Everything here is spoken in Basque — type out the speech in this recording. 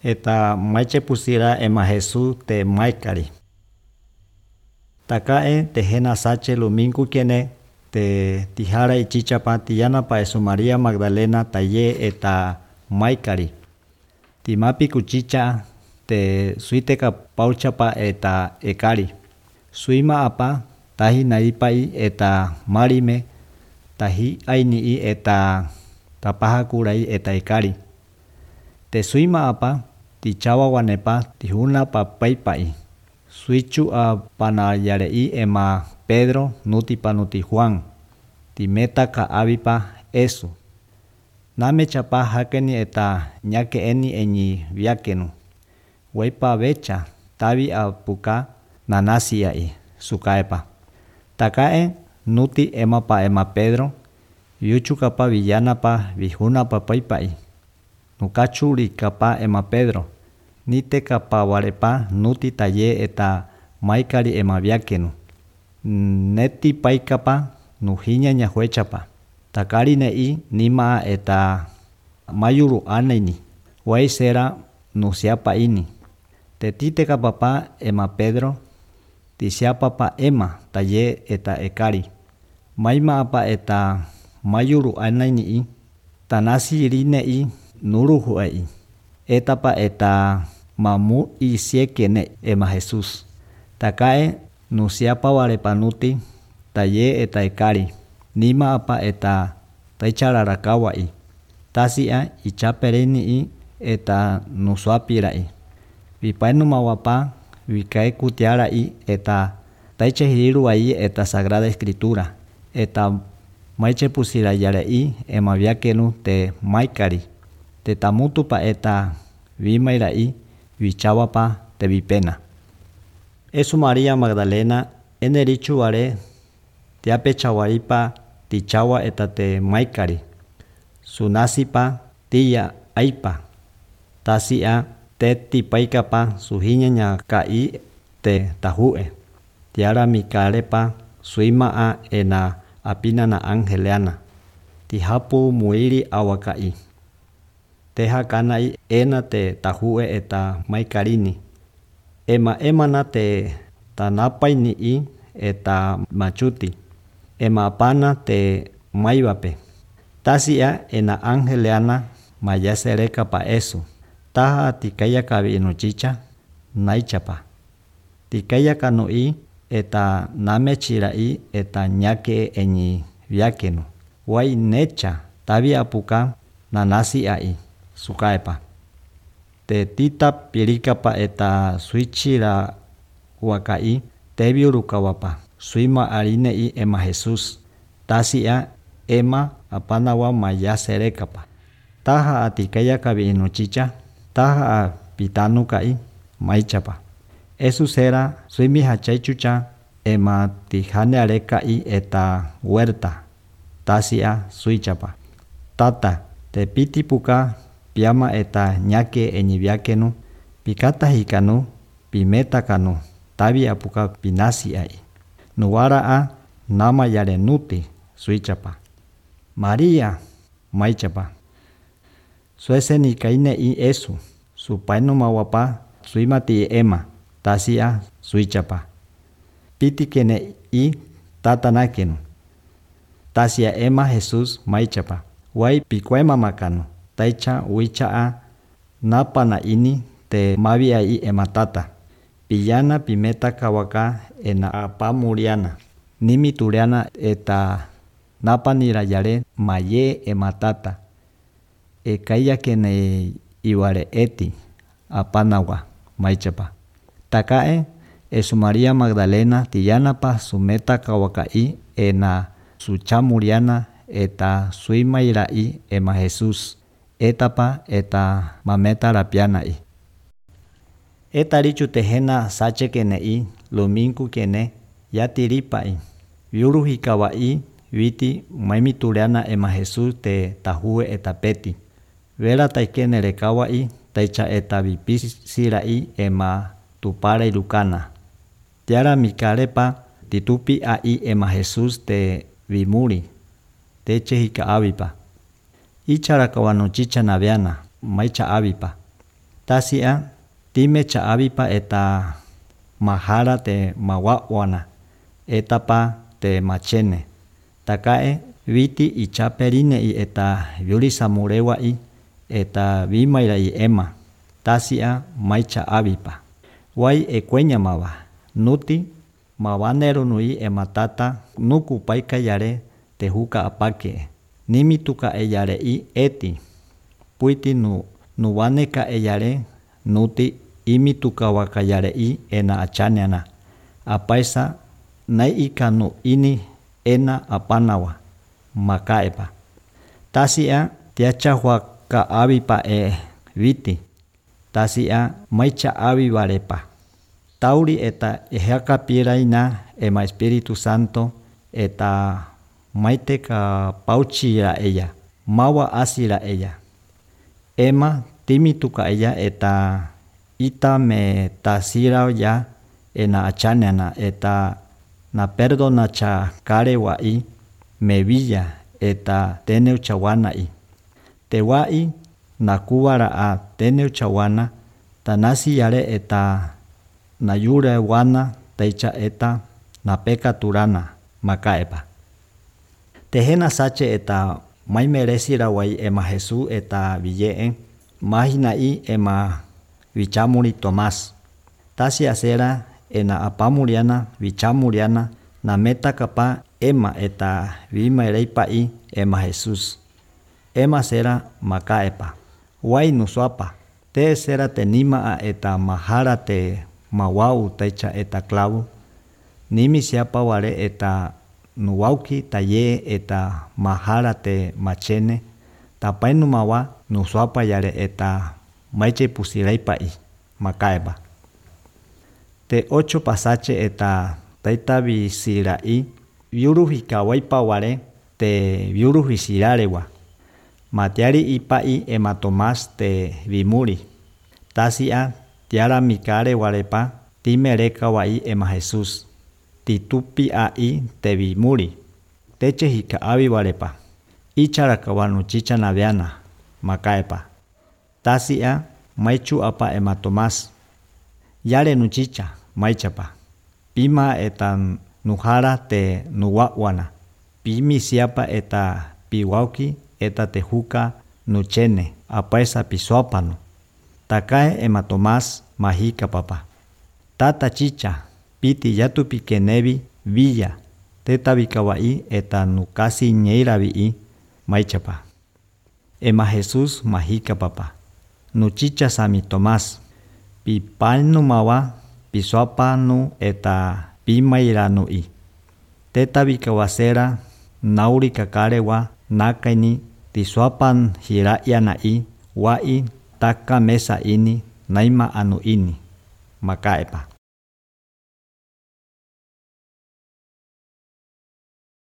eta maiche pusira ema Jesús te maikari. Takae te hena sache luminku kene te tijara ichichapa tiyana pa Esu María Magdalena taye eta maikari. Timapi kuchicha te suiteka pauchapa eta ekari. Suima apa tahi naipai eta marime tahi aini eta tapaha kurai eta ekari. Te suima apa tichawa wanepa tihuna pa paipai. Suichu a panayarei ema Pedro nuti panuti Juan. Timeta ka avipa eso. Name chapa hakeni eta nyake eni enyi viakenu. Waipa vecha tavi a puka nanasi ai sukaepa. Takae nuti ema pa ema Pedro. Yuchu kapa villana pa vihuna pa paipai. Nukachuri kapa ema Pedro. Nite kapa warepa nuti taye eta maikari ema viakenu. Neti paikapa nuhinya nyahuechapa. Takari nei nima eta mayuru aneni. Wai sera nusiapa ini. Tetite kapapa ema Pedro. Tisiapa pa ema taye eta ekari. Maima apa eta mayuru aneni. Tanasi irinei nuruhu ai. Etapa eta mamu isiekene ema Jesús. Takae nusiapa warepanuti taye eta ekari. Nima apa eta taichararakawa tasia ichapereni eta nusuapirai. Vipainu mawapa vikae kutiarai eta taichehiriru ai eta Sagrada Escritura. Eta maiche pusirayarei ema viakenu te maikari. Te tamutupa eta vimairai vichawapa te vipena. Esu María Magdalena enerichu are tiape chawaripa tichawa eta te maikari. Sunasipa tiya aipa. Tasia te tipaikapa suhinya nya kai te tahue. Tiara mikarepa suima a ena apina na angeleana. Tihapu muiri awakai. Teha kanai ena te tahue eta maikarini. Ema na te tanapai ni eta machuti. Ema pana te maivape. Tasia ena angeleana mayasereka pa eso. Taha tikaya kavi inuchicha naichapa. Tikaya kanui eta name chirai eta nyake enyi viakenu. Wai necha tavi apuka nanasi ai sukaepa. Te tita pirikapa eta suichira wakai tebiurukawapa. Suima arinei ema Jesús. Tasia ema apanawa mayaserekapa. Taha atikaya kavi inuchicha. Taha a pitanukai maichapa. Esu sera suimi hachaichucha ema tijane arekai eta huerta. Tasia suichapa. Tata te pitipuka piama eta nyake enyiviakenu. Pikata hikanu pimeta kanu. Tavi apuka pinasi ai. Nuwara a nama yarenuti suichapa. María maichapa. Suese ni kaine i esu. Supainu mawapa suimati ema. Tasia suichapa. Piti kene i tatanakenu. Tasia ema Jesús maichapa. Wai pikuema makanu. Taicha wicha a napana ini te mavia i ema tata. Pillana pimeta kawaka ena apa muriana. Nimi turiana eta napanira yare maye ema tata. Ekaya kene iware eti apanawa maichapa. Takae Esu María Magdalena tiyanapa sumeta kawakai ena suchamuriana eta suimairai ema Jesús. Etapa eta mameta rapianai. Eta richu tejena sache kenei luminku kene yatiripai. Viuruhi kawai viti maimituriana ema Jesús te tahue eta peti. Vera taikene rekawai taicha eta vipisirai ema tupara ilukana. Tiara mikarepa titupi ai ema Jesús te vimuri. Teche hika avipa. Ichara kawano chicha naviana maicha avipa. Tasia time cha'avipa eta mahara te mawa'wana etapa te machene. Takae viti ichaperine'i eta vyurisamurewa'i eta vimaira'i ema. Tasia mai cha'avipa. Wai ekueñamava nuti mawanerunu'i ematata nukupaika yare te huka apake. Nimituka eyare'i eti. Puiti nuwaneka eyare nuti imituka wakayare'i ena achaneana. Apaisa nai'ika nu ini ena apanawa makaepa. Tasia tiacha huaka avipa viti. Tasia maicha avivarepa. Tauri eta ejakapiraina ema Espíritu Santo eta maiteka pauchira ella. Mawa asira ella. Ema timituka ella eta ita me tasira ya ena achaneana eta na perdona cha karewa'i me villa eta teneu chawana'i. Tewa'i na kuwara'a teneu chawana tanasi yare eta na yure wana teicha eta na peka turana makaepa. Tehena sache eta mai meresira wai ema Jesús eta villeen mahina'i ema vichamuri Tomás. Tasi asera ena apamuriana vichamuriana na meta kapa ema eta vimareipa'i ema Jesús. Ema sera makaepa. Wai nusuapa. Te sera tenima'a eta mahara te mawau taicha eta klavu. Nimi siapa ware eta nuwauki taye eta mahara te machene. Tapai numawa nusuapa yare eta maiche pusiraipa'i makaepa. Te 8 pasache eta taita visira'i viuruhikawaipa ware te viuruhisirarewa. Matiari ipa'i ema Tomás te vimuri. Tasia tiara mikare warepa timereka wa'i ema Jesús. Titupi a'i te vimuri. Teche hikaavi warepa. Icharakawa chicha naviana makaepa. Tasia maichu apa ema Tomás. Yare nuchicha maichapa. Pima eta nuhara te nuwa'wana. Pimi siapa eta piwauki eta tehuka nuchene apaesa pisuapano. Takae ema Tomás mahika papa. Tata chicha piti yatupi kenevi villa teta vikawa'i eta nukasi ñeiravi'i maichapa. Ema Jesús mahika papa. Nuchicha sami Tomás. Pipanu mawa pisuapanu eta pimairanui. Teta vikawasera nauri kakarewa nakaini tisuapan hira'yana'i wa'i taka mesa ini naima anu ini makaepa.